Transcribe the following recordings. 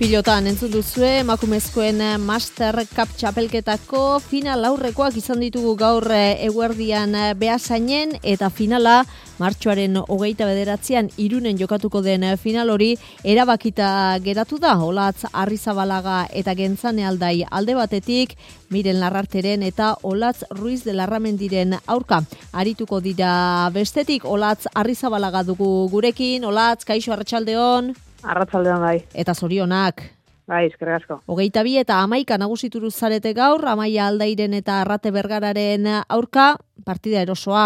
Pilotan entzun duzue, emakumezkoen Master Cup txapelketako final aurrekoak izan ditugu gaur eguerdian Beasainen eta finala martxoaren 29an Irunen jokatuko den final hori erabakita geratu da. Olatz Arrizabalaga eta Gentzane Aldai alde batetik, Miren Larrarteren eta Olatz Ruiz de Larramendiren aurka. Arituko dira bestetik, Olatz Arrizabalaga dugu gurekin. Olatz, kaixo, arratsaldeon. Arratsaldean bai. Eta zorionak. Bai, eskerrik asko. 22 eta 11 nagusituru zarete gaur, Amaia Aldairen eta Arrate Bergararen aurka, partida erosoa.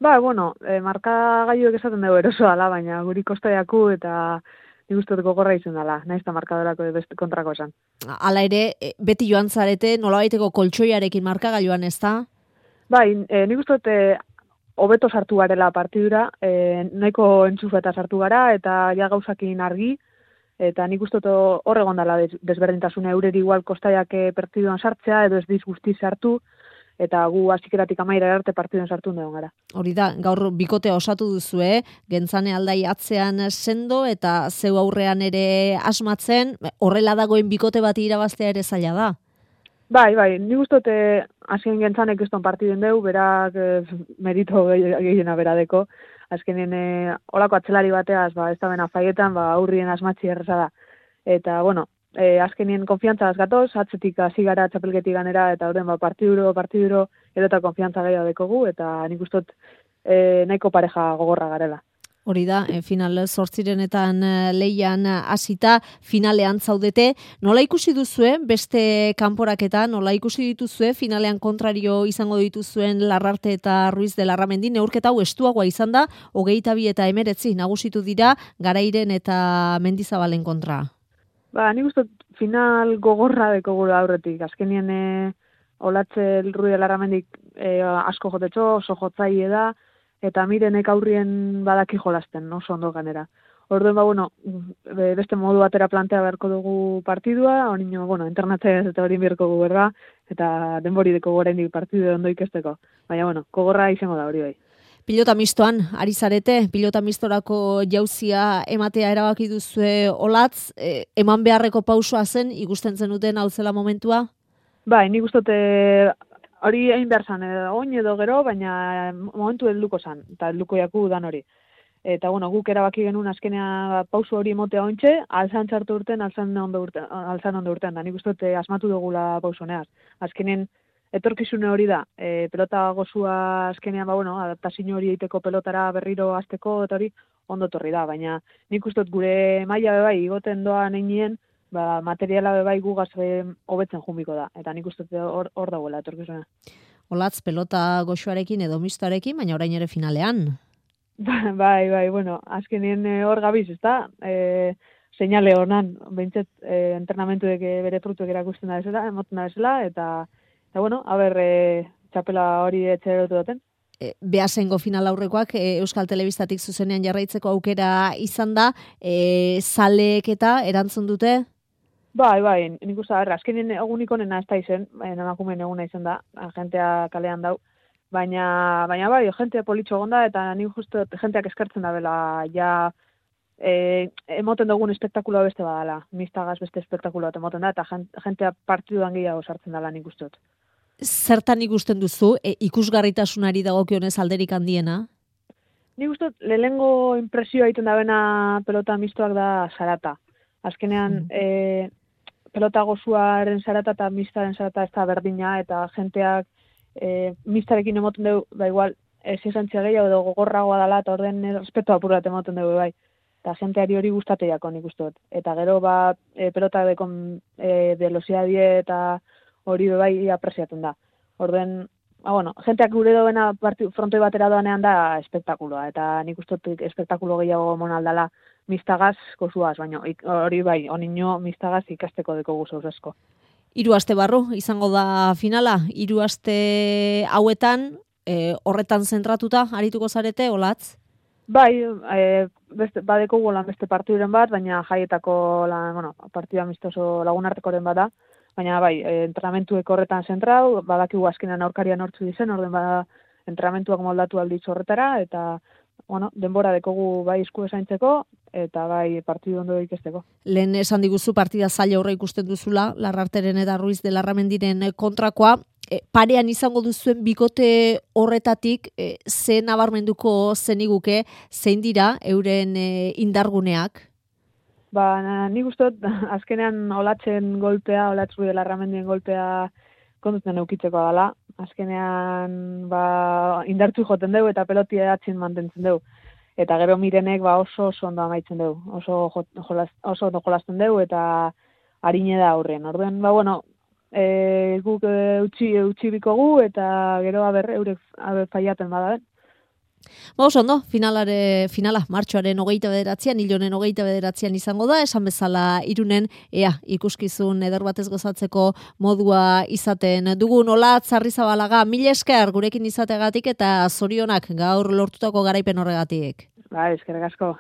Ba, bueno, markagailuek esaten dugu erosoa da, baina guri kostaiaku eta nik uste dut gogorra izan dela, nahiz eta markadorako beste kontrako esan. Hala ere, beti joan zarete, nolabaiteko koltsoiarekin markagailuan, ez da? Bai, nik uste dut hobeto sartu garela partidura, nahiko entzufeta sartu gara, eta ja gauzakin argi, eta nik uste dut hor egon dela desberdintasune eureri igual kostaiak partiduan sartzea, edo ez dizguzti sartu, eta gu hasikeratik amaira arte partiduan sartu egon gara. Hori da, gaur bikotea osatu duzue, Gentzane Aldai atzean sendo, eta zeu aurrean ere asmatzen, horrela dagoen bikote bat irabaztea ere zaila da. Bai, nik uste dut azken Gentzanek ez partiduen deu, berak merito gehiena beradeko. Azkenen olako atzelari bateaz, ez da bena faietan, aurrien asmatzi erreza da. Eta, bueno, azkenien konfiantza gatoz, atzetik hasi gara txapelketik ganera, eta horren partiduro, edo eta konfiantza gehiago dekogu, eta nik uste dut nahiko pareja gogorra garela. Hori da, final 8renetan lehian hasita finalean zaudete. Nola ikusi duzue beste kanporaketan, nola ikusi dituzue finalean kontrario izango dituzuen Larrarte eta Ruiz de Larramendi? Neurketa hau estuagoa izan da, 22 eta 19 nagusitu dira Garairen eta Mendizabalen kontra. Ba, nik uste final gogorra dekogu aurretik. Azkenien Olatze Ruiz de Larramendik asko jotetxo, oso jotzaile da, eta Mirenek aurrien badaki jolasten, oso ondo ganera. Orduen, beste modu batera plantea beharko dugu partidua, onino, internatzea eta hori beharko gu berda, eta denbori deko gorendik partidu ondo ikesteko. Baina, kogorra izango da hori bai. Pilota mistoan, ari zarete, pilota mistorako jauzia ematea erabaki duzue Olatz, eman beharreko pausua zen, ikusten zenuten hau zela momentua? Bai, nik ustote hori egin behar zan, oin edo gero, baina momentu helduko zan, eta helduko jaku dan hori. Eta, guk erabaki genuen azkenea pausu hori emotea ointxe, alzan txartu urten, alzan ondo urten, da nik uste asmatu dugula pausu honeaz. Azkenen, etorkizune hori da, pelota gozua azkenean, adaptazio hori egiteko pelotara berriro azteko, eta hori ondo torri da, baina nik uste gure maila bebai, igoten doan einien, materiala bebai gugaz hobetzen jumiko da, eta nik uste hor dagoela etorkizuna. Olatz, pelota goxoarekin edo mistoarekin, baina orain ere finalean. Bai, azkenien hor gabiz, ez da? Seinale honan, behintzet, entrenamentuek bere frutuek erakusten da bezala, emoten da bezala, eta txapela hori etxerotu duten. Beasaingo final aurrekoak Euskal Telebistatik zuzenean jarraitzeko aukera izan da, zaleek eta erantzun dute? Bai, nik uste, azkenien egunik onena ez da izen, emakumeen eguna izan da, jentea kalean dau, baina bai, jentea politxo gonda, eta nik justu jenteak eskertzen da bela, ja, emoten dugun espektakuloa beste badala, mistagaz beste espektakuloa emoten da, eta jentea partiduan gehiago sartzen dela nik uste dut. Zertan ikusten duzu, ikusgarritasunari dagokionez alderik handiena? Nik uste dut, lehenengo impresioa egiten da bena pelota mistoak da zarata. Azkenean, pelota gozuaren zarata eta mistaren zarata ez da berdina, eta jenteak mistarekin emoten dugu, igual, exigentzia gehiago edo gogorragoa dela, eta orden respeto apurat emoten dugu, bai. Eta jenteari hori gustateiako nik uste dut. Eta gero, pelota dekon velocidadie eta hori bai apresiatzen da. Orden, jenteak gure doena frontoi batera doanean da espektakuloa, eta nik uste dut espektakulo gehiago monaldala mistagaz gozuaz, baina hori bai, onino mistagaz ikasteko deko guzuz asko. 3 aste barru izango da finala, 3 aste hauetan, horretan zentratuta arituko zarete, Olatz? Bai, badeko golan beste partiduren bat, baina jaietako partidu amistoso lagunartekoren bat da, baina bai, entrenamentuek horretan zentrau, badakigu azkenean aurkarian hortzu dizen, orden entrenamentuak moldatu alditzu horretara, eta bueno, denbora dekogu bai esku esaintzeko, eta bai partidu ondo ikesteko. Lehen esan diguzu partida zaila horre ikusten duzula, Larrarteren eta Ruiz de Larramendiren kontrakoa. Parean izango duzuen bikote horretatik, ze nabarmenduko zeniguke, zein dira euren indarguneak? Nik uste azkenean Olatzen golpea, Olatz Ruiz de Larramendien golpea kondutzen eukitzeko dela. Azkenean indartzu joten dugu eta pelotia atzin mantentzen dugu. Eta gero Mirenek oso ondo amaitzen dugu. Oso ondo jolasten dugu eta harine da aurren. Orduan, guk utzi bikogu eta gero eurek faiaten bada. Oso ondo, finala martxoaren 29an, Ilonen 29an izango da, esan bezala Irunen, ikuskizun eder batez gozatzeko modua izaten dugun. Olatz Arrizabalaga, mila esker gurekin izateagatik eta zorionak gaur lortutako garaipen horregatik. Eskerrik asko.